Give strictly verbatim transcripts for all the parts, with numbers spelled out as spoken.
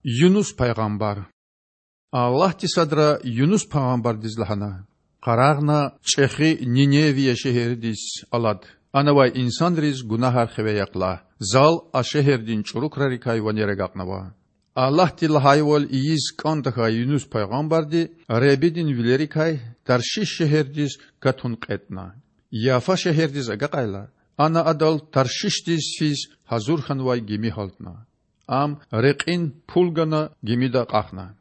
Юнус пайгъамбар. Аллагьди садра Юнус пайгъамбардиз лагьана: Къарагъна, чІехи Ниневия шегьердиз алад. Ана авай инсанриз гунагьар хиве яхъ лагь. Зал а шегьердин чІуру крарикай ванер агакьнава. Аллагьди лагьайвал ийиз кІан тахьай Юнус пайгъамбарди Худадин вилерикай Таршиш шегьердиз катун кьетІна. Яфа шегьердиз агакьайла, ана адал Таршишдиз физ гьазур хьанвай гими гьалтна. Ам рекьин пул гана, гимида акьахна.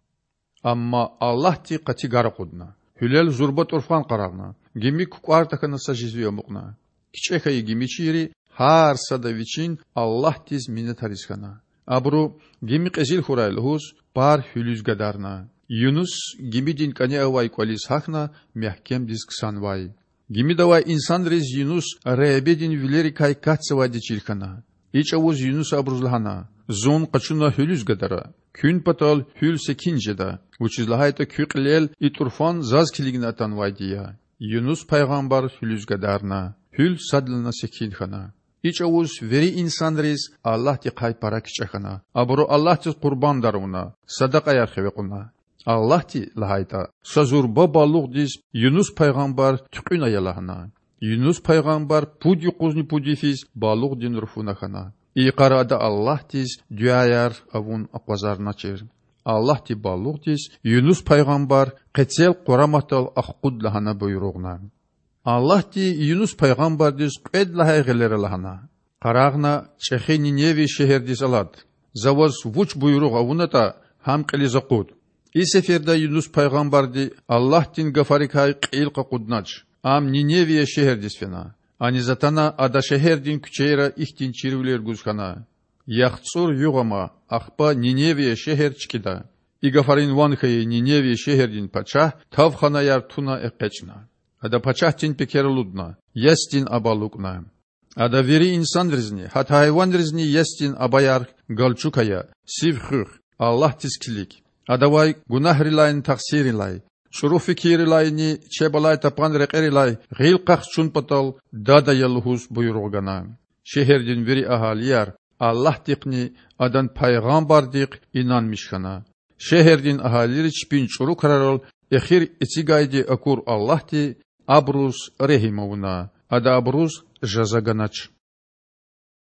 Амма Аллагьди къати гар акъудна. Гьуьлел зурба тІурфан къарагъна, гими кукІвар тахьана са жезви амукьна. КичІе хьайи гимичийри гьар сада вичин Аллагьдиз минетариз хьана. Абуру, гими кьезил хьурай лугьуз, пар гьуьлуьз гадарна. Юнус гимидин кІане авай кІвализ гьахьна, мягькемдиз ксанвай. Гимида авай инсанриз Юнус Худадин вилерикай катзавайди чир хьана. И чІавуз Юнуса абуруз лагьана: Зун къачуна гьуьлуьз гадара. Куьн патал гьуьл секин жеда, вучиз лагьайтІа куь кьилел и тІурфан заз килигна атанвайди я. Юнус пайгъамбар гьуьлуьз гадарна. Гьуьл садлана секин хьана. И чІавуз вири инсанриз Аллагьдихъай пара кичІе хьана. Абуру Аллагьдиз къурбандар авуна, садакьаяр хиве кьуна. Аллагьди, лагьайтІа, са зурба балугъдиз Юнус пайгъамбар туькьуьн ая лагьана. Юнус пайгъамбар пуд юкъузни пуд йифиз балугъдин руфуна хьана. И йикъара ада Аллагьдиз дуьаяр авун акъвазарначир. Аллагьди балугъдиз Юнус пайгъамбар къецел къураматдал ахкъуд лагьана буйругъна. Аллагьди Юнус пайгъамбардиз кьвед лагьай гъилера лагьана: Къарагъна, чІехи Ниневия шегьердиз алад. За ваз вуч буйругъ авунатІа, гьам кьилиз акъуд. И сеферда Юнус пайгъамбарди Аллагьдин гафарикай кьил къакъуднач. Ам Ниневия шегьердиз фена. Аниз атана ада шегьердин куьчейра ихьтин чирвилер гуз хьана: ЯхцІур югъ ама, ахпа Ниневия шегьер чкІида. И гафарин ван хьайи Ниневия шегьердин пачагь тавханаяр туна экъечІна. Ада пачагьдин пекер алудна, ясдин аба алукІна. Ада вири инсанризни, гьатта гьайванризни ясдин абаяр галчук ая, сив хуьх, Аллагьдиз килиг. Адавай гунагьрилайни тахсиррилай, чІуру фикиррилайни чеб алай тапан рекьерилай гъил къахчун патал дад ая лугьуз буйругъ гана. Шегьердин вири агьалияр Аллагьдихъни Адан пайгъамбардихъ инанмиш хьана. Шегьердин агьалийри чпин чІуру крарал эхир эцигайди акур Аллагьди абуруз регьим авуна, Ада абуруз жаза ганач.